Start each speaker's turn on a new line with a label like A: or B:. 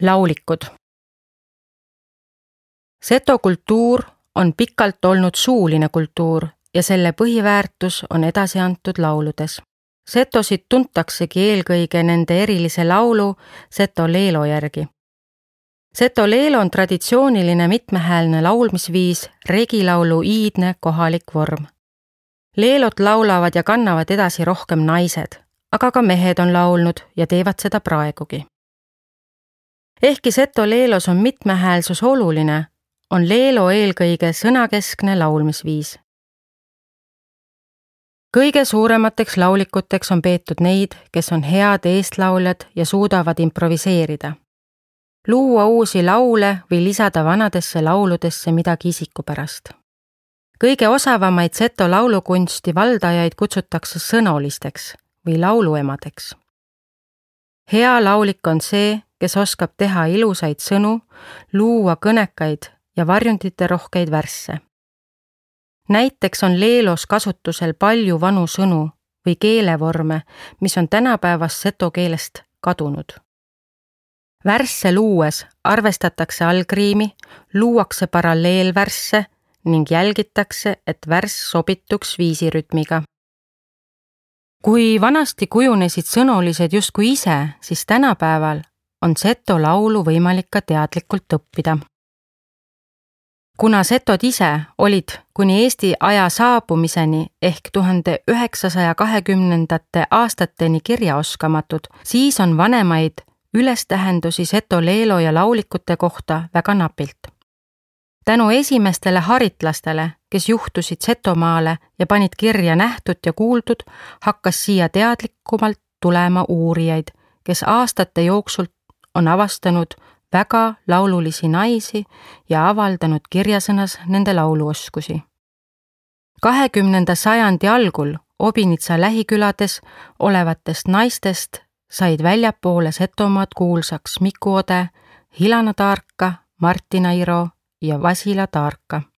A: Laulikud. Seto kultuur on pikalt olnud suuline kultuur ja selle põhiväärtus on edasi antud lauludes. Setosid tuntaksegi eelkõige nende erilise laulu Seto Leelo järgi. Seto Leelo on traditsiooniline mitmehäälne laulmisviis, regilaulu iidne kohalik vorm. Leelot laulavad ja kannavad edasi rohkem naised, aga ka mehed on laulnud ja teevad seda praegugi. Ehkki Seto Leelos on mitmehäälsus oluline, on leelo eelkõige sõnakeskne laulmisviis. Kõige suuremateks laulikuteks on peetud neid, kes on head eestlauljad ja suudavad improviseerida. Luua uusi laule või lisada vanadesse lauludesse midagi isikupärast. Kõige osavamaid seto laulukunsti valdajaid kutsutakse sõnolisteks või lauluemadeks. Hea laulik on see, kes oskab teha ilusaid sõnu, luua kõnekaid ja varjundite rohkeid värsse. Näiteks on leelos kasutusel palju vanu sõnu või keelevorme, mis on tänapäevast seto keelest kadunud. Värsse luues arvestatakse algriimi, luuakse paralleelvärsse ning jälgitakse, et värss sobituks viisirütmiga. Kui vanasti kujunesid sõnolised justkui ise, siis tänapäeval on seto laulu võimalik ka teadlikult õppida. Kuna setod ise olid kuni Eesti aja saabumiseni ehk 1920. aastateni kirjaoskamatud, siis on vanemaid ülestähendusi Seto Leelo ja laulikute kohta väga napilt. Tänu esimestele haritlastele, kes juhtusid Setomaale ja panid kirja nähtud ja kuuldud, hakkas siia teadlikumalt tulema uurijaid, kes aastate jooksul on avastanud väga laululisi naisi ja avaldanud kirjasõnas nende lauluoskusi. 20. sajandi algul Obinitsa lähikülades olevatest naistest said väljapoole Setomaad kuulsaks Miku Ode, Hilana Taarka, Martina Iro ja Vasila Taarka.